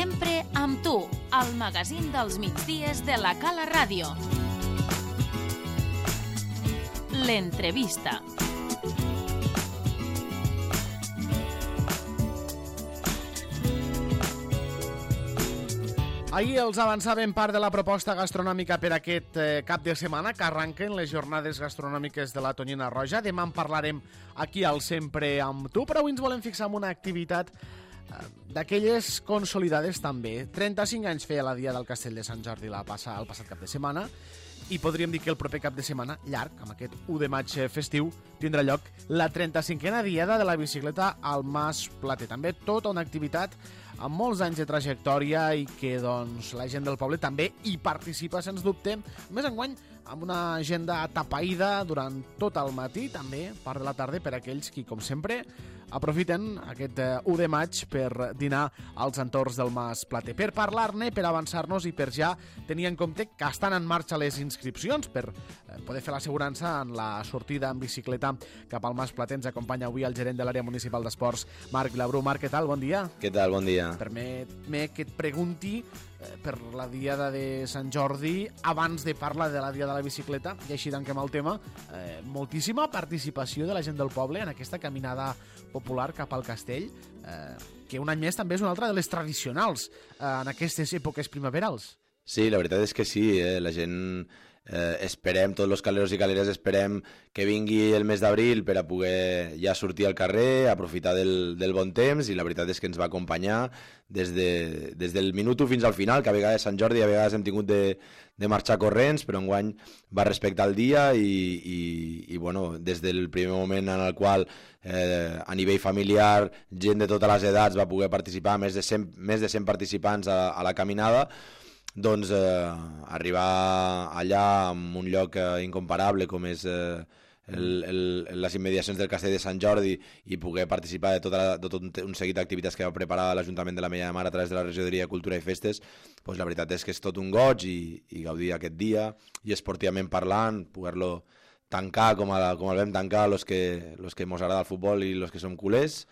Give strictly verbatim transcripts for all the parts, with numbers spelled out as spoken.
Sempre amb tu, al magazín dels migdies de la Cala Ràdio. L'entrevista. Ahir els avançàvem part de la proposta gastronòmica per aquest eh, cap de setmana que arranquen les jornades gastronòmiques de la Tonyina Roja. Demà en parlarem aquí al Sempre amb tu, però avui ens volem fixar en una activitat eh, d'aquelles consolidades també. trenta-cinc anys feia la Dia del Castell de Sant Jordi la passa, el passat cap de setmana, i podríem dir que el proper cap de setmana, llarg, amb aquest u de maig festiu, tindrà lloc la trenta-cinquena Diada de la Bicicleta al Mas Plater. També tota una activitat amb molts anys de trajectòria i que doncs, la gent del poble també hi participa, sens dubte. Més enguany, amb una agenda atapeïda durant tot el matí, també part de la tarda, per aquells qui, com sempre, aprofiten aquest u de maig per dinar als entorns del Mas Plater. Per parlar-ne, per avançar-nos i per ja tenir en compte que estan en marxa les inscripcions per poder fer l'assegurança en la sortida en bicicleta cap al Mas Plater. Ens acompanya avui el gerent de l'àrea municipal d'esports, Marc Vilabrú. Marc, què tal? Bon dia. Què tal? Bon dia. Permet-me que et pregunti eh, per la Diada de Sant Jordi, abans de parlar de la Diada de la Bicicleta, i així tanquem el tema, eh, moltíssima participació de la gent del poble en aquesta caminada popular cap al castell, eh, que un any més també és una altra de les tradicionals eh, en aquestes èpoques primaverals. Sí, la veritat és que sí, eh? La gent eh, esperem, tots els caleros i caleres esperem que vingui el mes d'abril per a poder ja sortir al carrer, aprofitar del, del bon temps, i la veritat és que ens va acompanyar des, de, des del minut u fins al final, que a vegades Sant Jordi a vegades hem tingut de, de marxar corrents, però enguany va respectar el dia i, i, i bueno, des del primer moment en el qual eh, a nivell familiar gent de totes les edats va poder participar, més de cent, més de cent participants a, a la caminada, doncs eh, arribar allà en un lloc eh, incomparable com és eh, el, el, les immediacions del Castell de Sant Jordi i poder participar de, tota la, de tot un, un seguit d'activitats que va preparar l'Ajuntament de la Mella de Mar a través de la Regidoria de Cultura i Festes, doncs la veritat és que és tot un goig i, i gaudir aquest dia i esportivament parlant, poder-lo tancar com, a, com el vam tancar los que, los que mos agrada el futbol i los que som culers,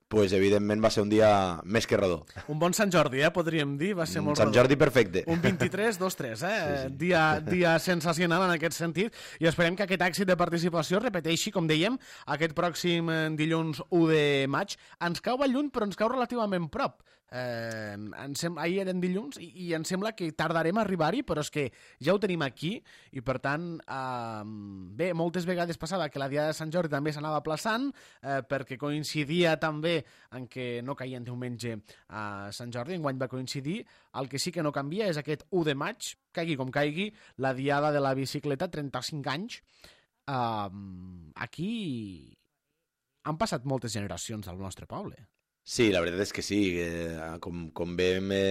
pues evidentment va ser un dia més que redó. Un bon Sant Jordi, eh, podríem dir, va ser molt Sant redó. Jordi perfecte. Un vint-i-tres dos tres, eh? Sí, sí. Dia, dia sensacional en aquest sentit, i esperem que aquest èxit de participació repeteixi, com dèiem, aquest pròxim dilluns u de maig. Ens cau lluny, però ens cau relativament prop. Eh, em sem... Ahir eren dilluns i, i em sembla que tardarem a arribar-hi, però és que ja ho tenim aquí i per tant eh, bé, moltes vegades passava que la Diada de Sant Jordi també s'anava aplaçant eh, perquè coincidia també en què no caia en diumenge a Sant Jordi. Enguany va coincidir. El que sí que no canvia és aquest u de maig, caigui com caigui, la Diada de la Bicicleta, trenta-cinc anys. eh, aquí han passat moltes generacions al nostre poble. Sí, la veritat és que sí, eh, com, com bé me,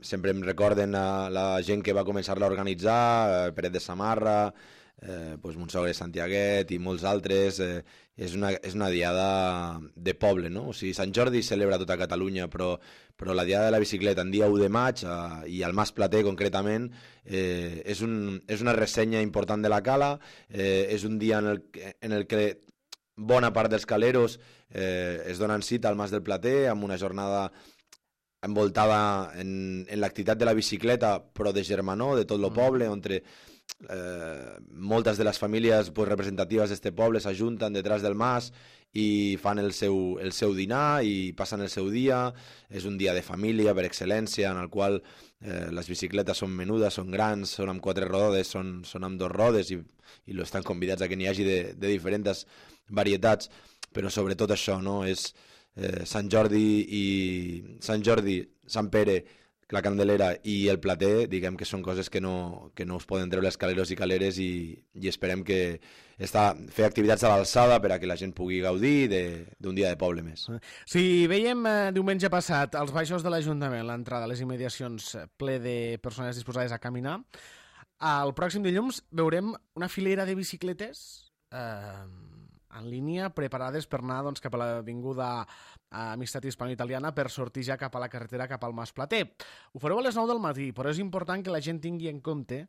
sempre em recorden a la gent que va començar-la a organitzar, eh, Peret de Samarra, eh, pues Montsogre Santiaguet i molts altres, eh, és, una, és una diada de poble, no? O sigui, Sant Jordi celebra tota Catalunya, però, però la diada de la bicicleta en dia u de maig, eh, i al Mas Plater concretament, eh, és, un, és una ressenya important de la cala, eh, és un dia en el, en el que bona part dels caleros eh, es donen cita al Mas del Plater amb una jornada envoltada en, en l'activitat de la bicicleta, però de germanor, de tot el poble, on eh, moltes de les famílies pues, representatives d'este poble s'ajunten detrás del mas i fan el seu, el seu dinar i passen el seu dia. És un dia de família per excel·lència, en el qual eh, les bicicletes són menudes, són grans, són amb quatre rodes, són, són amb dos rodes i, i lo estan convidats a que n'hi hagi de, de diferents varietats, però sobretot això, no? És eh, Sant Jordi i Sant Jordi, Sant Pere, la Candelera i el Plater, diguem que són coses que no, que no us poden treure els caleros i caleres, i, i esperem que està, fer activitats a l'alçada per a que la gent pugui gaudir d'un dia de poble més. Si veiem eh, diumenge passat als baixos de l'Ajuntament, l'entrada a les immediacions ple de persones disposades a caminar, el pròxim dilluns veurem una filera de bicicletes eh, en línia, preparades per anar doncs, cap a l'avinguda Amistat Hispano-Italiana per sortir ja cap a la carretera cap al Mas Plater. Ho fareu a les nou del matí, però és important que la gent tingui en compte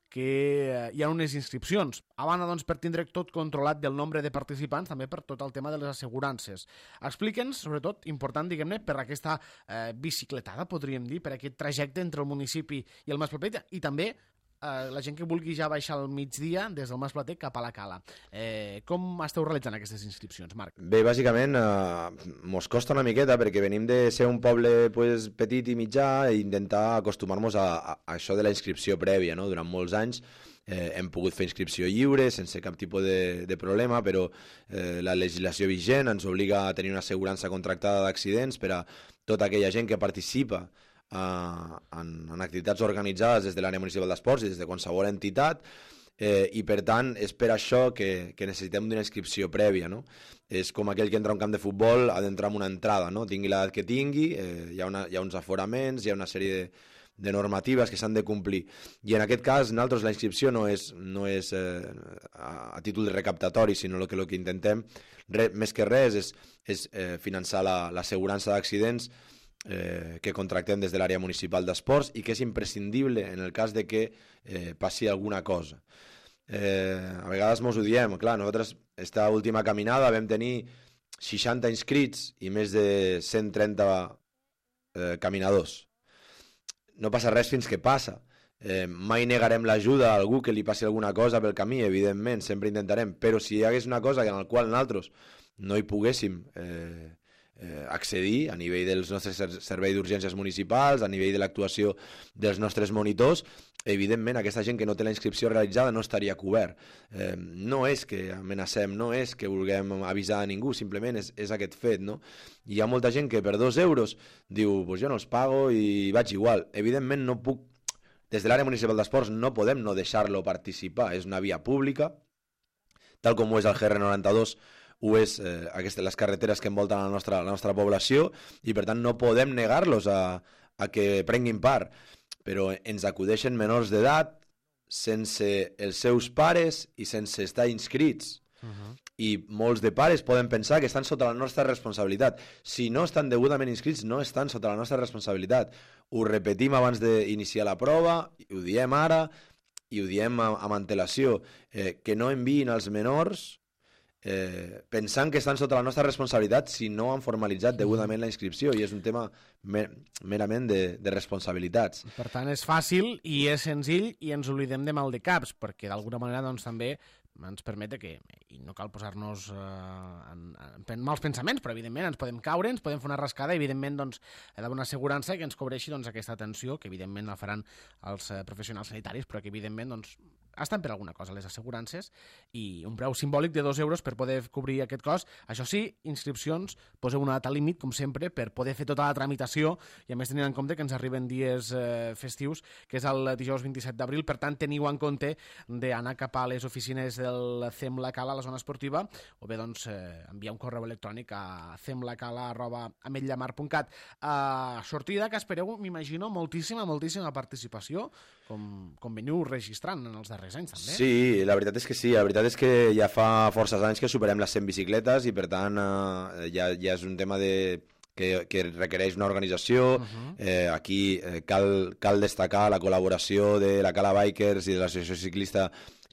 que hi ha unes inscripcions. A banda, doncs, per tindre tot controlat del nombre de participants, també per tot el tema de les assegurances. Explica'ns, sobretot, important, diguem-ne, per aquesta eh, bicicletada, podríem dir, per aquest trajecte entre el municipi i el Masplatet, i també eh, la gent que vulgui ja baixar al migdia des del Masplatet cap a la Cala. Eh, com esteu realitzant aquestes inscripcions, Marc? Bé, bàsicament, eh, mos costa una miqueta perquè venim de ser un poble pues, petit i mitjà i intentar acostumar-nos a, a, a això de la inscripció prèvia, no? Durant molts anys eh, hem pogut fer inscripció lliure sense cap tipus de, de problema, però eh, la legislació vigent ens obliga a tenir una assegurança contractada d'accidents per a tota aquella gent que participa Uh, en, en activitats organitzades des de l'àrea municipal d'esports i des de qualsevol entitat, eh, i per tant és per això que, que necessitem d'una inscripció prèvia, no? És com aquell que entra a un camp de futbol, ha d'entrar amb una entrada, no? Tingui l'edat que tingui, eh, hi, ha una, hi ha uns aforaments, hi ha una sèrie de, de normatives que s'han de complir, i en aquest cas nosaltres la inscripció no és, no és eh, a, a títol recaptatori, sinó que el que intentem re, més que res és, és eh, finançar l'assegurança la, d'accidents Eh, que contractem des de l'àrea municipal d'esports i que és imprescindible en el cas de que eh, passi alguna cosa. Eh, a vegades mos ho diem, clar, nosaltres esta última caminada vam tenir seixanta inscrits i més de cent trenta eh, caminadors. No passa res fins que passa. Eh, mai negarem l'ajuda a algú que li passi alguna cosa pel camí, evidentment, sempre intentarem, però si hi hagués una cosa en la qual nosaltres no hi poguéssim eh, Eh, accedir a nivell dels nostres serveis d'urgències municipals, a nivell de l'actuació dels nostres monitors, evidentment aquesta gent que no té la inscripció realitzada no estaria cobert. Eh, no és que amenacem, no és que vulguem avisar a ningú, simplement és, és aquest fet, no? Hi ha molta gent que per dos euros diu, pues jo no els pago i vaig igual. Evidentment no puc, des de l'àrea municipal d'esports no podem no deixar-lo participar, és una via pública, tal com ho és el G R noranta-dos, ho és eh, aquestes, les carreteres que envolten la nostra, la nostra població, i per tant no podem negar-los a, a que prenguin part, però ens acudeixen menors d'edat sense els seus pares i sense estar inscrits. Uh-huh. I molts de pares poden pensar que estan sota la nostra responsabilitat. Si no estan degudament inscrits, no estan sota la nostra responsabilitat. Ho repetim abans d'iniciar la prova, ho diem ara i ho diem amb antelació, eh, que no enviïn els menors Eh, pensant que estan sota la nostra responsabilitat si no han formalitzat degudament la inscripció, i és un tema mer merament de, de responsabilitats. Per tant, és fàcil i és senzill i ens oblidem de mal de caps, perquè d'alguna manera doncs, també ens permet que, i no cal posar-nos eh, en, en mals pensaments, però evidentment ens podem caure, ens podem fer una rascada, i evidentment doncs, hi ha d'haver una assegurança que ens cobreixi doncs, aquesta atenció, que evidentment la faran els eh, professionals sanitaris, però que evidentment doncs, estan per alguna cosa les assegurances, i un preu simbòlic de dos euros per poder cobrir aquest cost. Això sí, inscripcions, poseu una data límit, com sempre, per poder fer tota la tramitació, i a més tenint en compte que ens arriben dies eh, festius, que és el dijous vint-i-set d'abril, per tant teniu en compte d'anar cap a les oficines del C E M La Cala a la zona esportiva, o bé doncs eh, enviar un correu electrònic a cemlacala arroba ametllamar punt cat. Uh, sortida que espereu, m'imagino, moltíssima, moltíssima participació, com, com veniu registrant en els darrers anys, també. Sí, la veritat és que sí, la veritat és que ja fa forces anys que superem les cent bicicletes i per tant eh, ja, ja és un tema de, que, que requereix una organització. Uh-huh. eh, aquí eh, cal, cal destacar la col·laboració de la Cala Bikers i de l'associació ciclista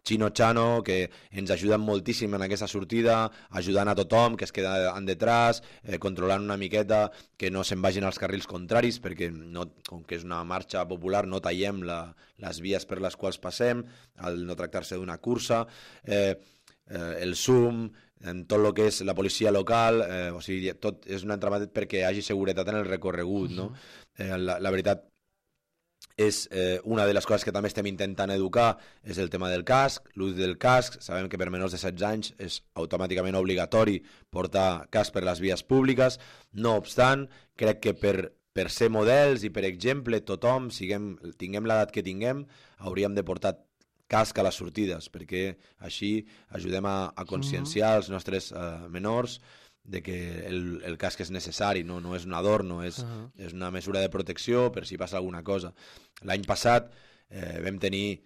Chino Chano, que ens ajuden moltíssim en aquesta sortida, ajudant a tothom que es queda en detrás, eh, controlant una miqueta que no se'n vagin als carrils contraris, perquè no, com que és una marxa popular no tallem la, les vies per les quals passem, al no tractar-se d'una cursa, eh, eh, el S U M, en tot el que és la policia local, eh, o sigui, tot és un entramat perquè hi hagi seguretat en el recorregut, no? Eh, la, la veritat és eh, una de les coses que també estem intentant educar, és el tema del casc, l'ús del casc. Sabem que per menors de setze anys és automàticament obligatori portar casc per les vies públiques. No obstant, crec que per, per ser models i per exemple tothom, siguem, tinguem l'edat que tinguem, hauríem de portar casc a les sortides, perquè així ajudem a, a conscienciar els nostres eh, menors de que el, el casc és necessari, no, no és un adorno, és, uh-huh. és una mesura de protecció per si passa alguna cosa. L'any passat eh, vam tenir,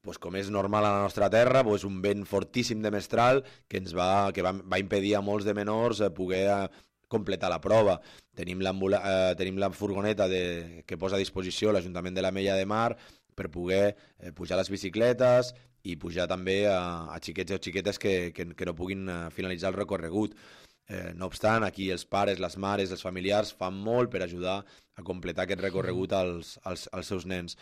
pues, com és normal a la nostra terra, pues, un vent fortíssim de mestral que ens va, que va, va impedir a molts de menors eh, poder eh, completar la prova. Tenim, eh, tenim la furgoneta de, que posa a disposició l'Ajuntament de la Mella de Mar per poder eh, pujar les bicicletes i pujar també a, a xiquets o xiquetes que, que, que no puguin uh, finalitzar el recorregut. Eh, no obstant, aquí els pares, les mares, els familiars fan molt per ajudar a completar aquest recorregut als, als, als seus nens.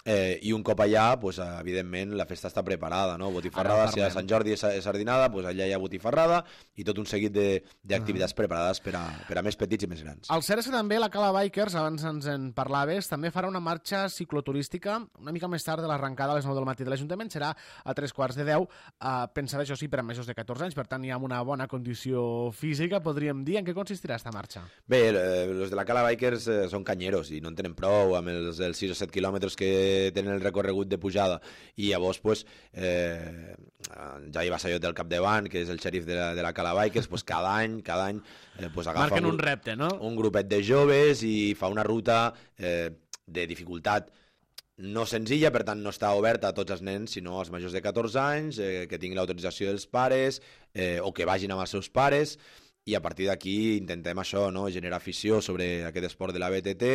Eh, I un cop allà, pues, evidentment, la festa està preparada, no? Botifarrada, si a Sant Jordi és sardinada, pues allà hi ha botifarrada i tot un seguit d'activitats uh -huh. preparades per a, per a més petits i més grans. El cert és que també la Cala Bikers, abans ens en parlaves, també farà una marxa cicloturística una mica més tard de l'arrencada a les nou del matí de l'Ajuntament, serà a tres quarts de deu, eh, pensada, això sí, per a majors de catorze anys, per tant hi ha una bona condició física, podríem dir. En què consistirà aquesta marxa? Bé, els de la Cala Bikers eh, són canyeros i no en tenen prou amb els, els sis o set quilòmetres que tenen el recorregut de pujada, i llavors pues, eh, Jai Bassallot del capdavant, que és el xèrif de la, de la Cala Bikers, pues, cada any cada any eh, pues, agafa Marquen un, un repte, no? un grupet de joves i fa una ruta eh, de dificultat no senzilla, per tant no està oberta a tots els nens, sinó als majors de catorze anys, eh, que tinguin l'autorització dels pares eh, o que vagin amb els seus pares. I a partir d'aquí intentem això, no? Generar afició sobre aquest esport de la B T T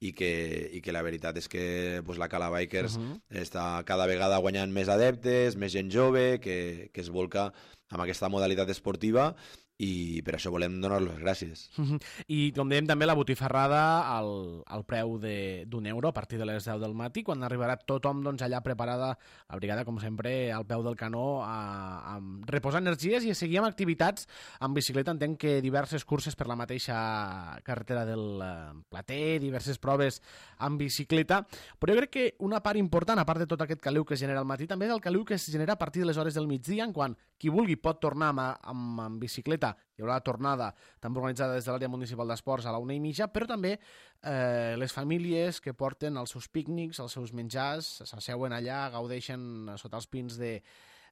i que, i que la veritat és que pues, la Cala Bikers uh -huh. està cada vegada guanyant més adeptes, més gent jove que, que es volca amb aquesta modalitat esportiva, i per això volem donar les gràcies. Uh -huh. I com dèiem també la botifarrada al, al preu d'un euro a partir de les deu del matí, quan arribarà tothom doncs, allà preparada, la brigada com sempre al peu del canó a, a reposar energies i a seguir amb activitats amb bicicleta. Entenc que diverses curses per la mateixa carretera del Plater, diverses proves amb bicicleta, però jo crec que una part important, a part de tot aquest caliu que es genera al matí, també del caliu que es genera a partir de les hores del migdia, en quan qui vulgui pot tornar amb, amb, amb bicicleta. Hi haurà la tornada també organitzada des de l'àrea municipal d'esports a la una i mitja, però també eh, les famílies que porten els seus pícnics, els seus menjars, s'asseuen allà, gaudeixen sota els pins de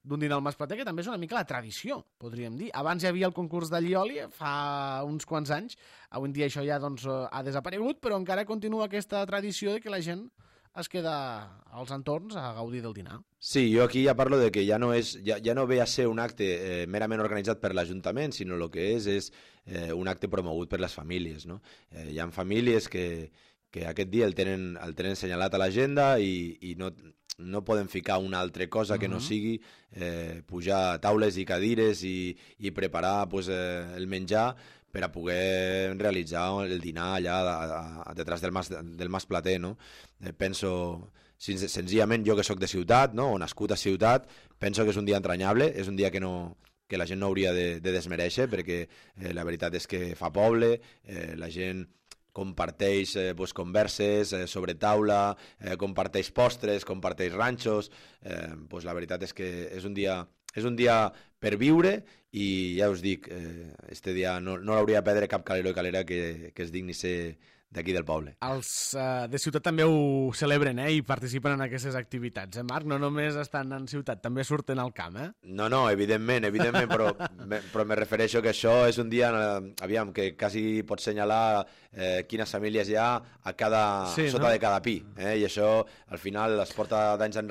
d'un dinar al Mas Plater, que també és una mica la tradició, podríem dir. Abans hi havia el concurs d'allioli, fa uns quants anys, avui en dia això ja doncs, ha desaparegut, però encara continua aquesta tradició de que la gent es queda als entorns a gaudir del dinar. Sí, jo aquí ja parlo de que ja no, és, ja, ja no ve a ser un acte eh, merament organitzat per l'Ajuntament, sinó el que és és eh, un acte promogut per les famílies, no? Eh, hi ha famílies que, que aquest dia el tenen, el tenen assenyalat a l'agenda i, i no, no poden ficar una altra cosa que no sigui eh, pujar taules i cadires i, i preparar pues, eh, el menjar per a poder realitzar el dinar allà a, a, a detrás del Mas, del Mas Plater, no? Eh, penso, senzillament, jo que sóc de ciutat, no? O nascut a ciutat, penso que és un dia entranyable, és un dia que, no, que la gent no hauria de, de desmereixer, perquè eh, la veritat és que fa poble, eh, la gent comparteix eh, pues, converses eh, sobre taula, eh, comparteix postres, comparteix ranxos, eh, pues, la veritat és que és un dia, és un dia per viure, i ja us dic, eh, este dia no, no l'hauria de perdre cap calero i calera que, que es digni ser d'aquí del poble. Els uh, de ciutat també ho celebren, eh, i participen en aquestes activitats, eh, Marc? No només estan en ciutat, també surten al camp, eh? No, no, evidentment, evidentment, però, me, però me refereixo que això és un dia, eh, aviam, que quasi pots senyalar eh, quines famílies hi ha a cada, sí, sota no? de cada pi, eh? I això al final es porta d'anys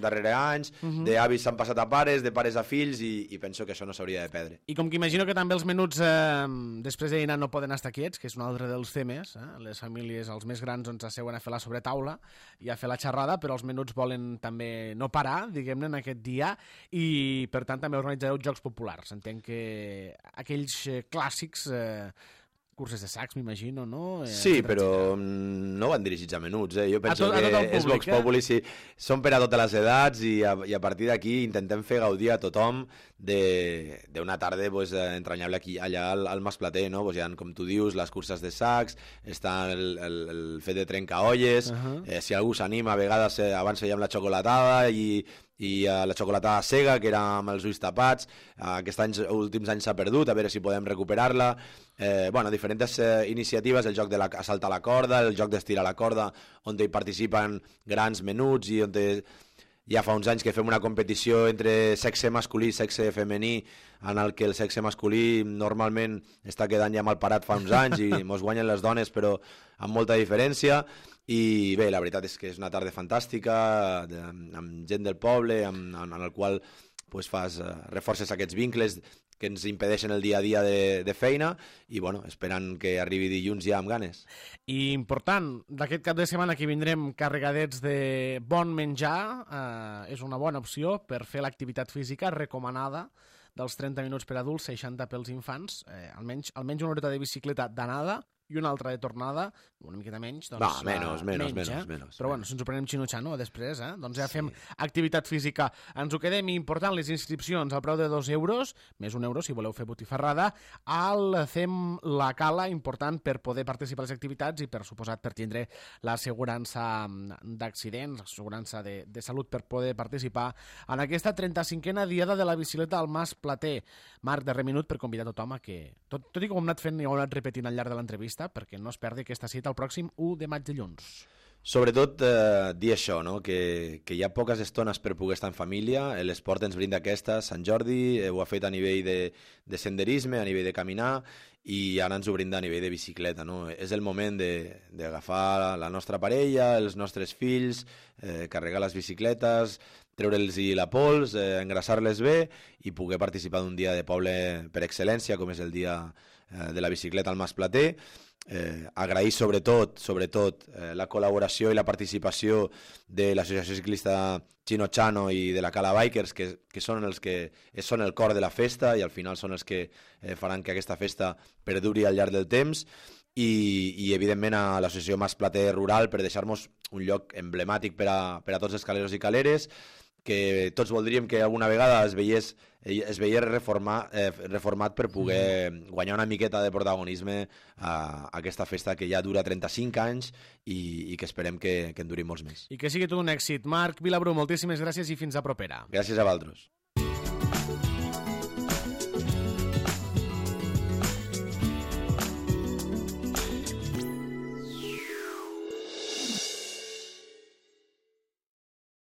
darrere anys, uh -huh. d'avis s'han passat a pares, de pares a fills, i, i penso que això no s'hauria de perdre. I com que imagino que també els menuts eh, després de dinar no poden estar quiets, que és un altre dels temes, eh? Les famílies, els més grans, doncs asseuen a fer la sobretaula i a fer la xerrada, però els menuts volen també no parar, diguem-ne, en aquest dia, i per tant també organitzareu jocs populars. Entenc que aquells eh, clàssics... Eh, curses de sacs, m'imagino, no? Eh, sí, però no van dirigits a menuts, eh? Jo penso a tot, a tot que públic, és Vox eh? Populi, sí. Són per a totes les edats i a, i a partir d'aquí intentem fer gaudir a tothom d'una tarda pues, entranyable aquí, allà al, al Mas Plater, no? Pues hi ha, com tu dius, les curses de sacs, està el, el, el fet de trencaolles, uh -huh. eh, si algú s'anima, a vegades eh, abans fèiem la xocolatada i i uh, la xocolatada cega, que era amb els ulls tapats, uh, aquests anys, últims anys s'ha perdut, a veure si podem recuperar-la. Eh, bueno, diferents eh, iniciatives, el joc de la, saltar la corda, el joc d'estirar la corda, on hi participen grans menuts i on te, ja fa uns anys que fem una competició entre sexe masculí i sexe femení, en el que el sexe masculí normalment està quedant ja mal parat fa uns anys i mos guanyen les dones, però amb molta diferència. I bé, la veritat és que és una tarda fantàstica, de, amb gent del poble, amb, en el qual pues fas, eh, reforces aquests vincles que ens impedeixen el dia a dia de, de feina i bueno, esperant que arribi dilluns ja amb ganes. I important, d'aquest cap de setmana que vindrem carregadets de bon menjar, eh, és una bona opció per fer l'activitat física recomanada dels trenta minuts per adults, seixanta pels infants, eh, almenys, almenys una horeta de bicicleta d'anada i una altra de tornada, una miqueta menys, doncs... No, menys, menys, menys, eh? menys. Però bueno, si ens ho prenem xinutxano després, eh? Doncs ja fem sí. activitat física. Ens ho quedem, important, les inscripcions al preu de dos euros, més un euro si voleu fer botifarrada, al Fem la Cala, important per poder participar a les activitats i per suposat per tindre l'assegurança d'accidents, l'assegurança de, de salut per poder participar en aquesta trenta-cinquena diada de la bicicleta al Mas Plater. Marc, darrer minut per convidar tothom a que, tot, tot i com ho hem anat fent i ho hem anat repetint al llarg de l'entrevista, perquè no es perdi aquesta cita el pròxim u de maig dilluns. Sobretot eh, dir això, no? que, que hi ha poques estones per poder estar en família, l'esport ens brinda aquesta, Sant Jordi, eh, ho ha fet a nivell de, de senderisme, a nivell de caminar, i ara ens ho brinda a nivell de bicicleta. No? És el moment d'agafar la nostra parella, els nostres fills, eh, carregar les bicicletes, treure'ls la pols, eh, engrassar-les bé i poder participar d'un dia de poble per excel·lència, com és el dia eh, de la bicicleta al Mas Plater. Eh, agrair sobretot, sobretot eh, la col·laboració i la participació de l'Associació Ciclista Chino-Chano i de la Cala Bikers, que, que són els que són el cor de la festa i al final són els que eh, faran que aquesta festa perduri al llarg del temps. I, i evidentment a l'associació Mas Plater Rural per deixar-nos un lloc emblemàtic per a, per a tots els caleros i caleres, que tots voldríem que alguna vegada es veiés, es veiés reformar, eh, reformat per poder guanyar una miqueta de protagonisme a, a aquesta festa que ja dura trenta-cinc anys i, i que esperem que, que en duri molts més. I que sigui tot un èxit. Marc Vilabrú, moltíssimes gràcies i fins a propera. Gràcies a vosaltres.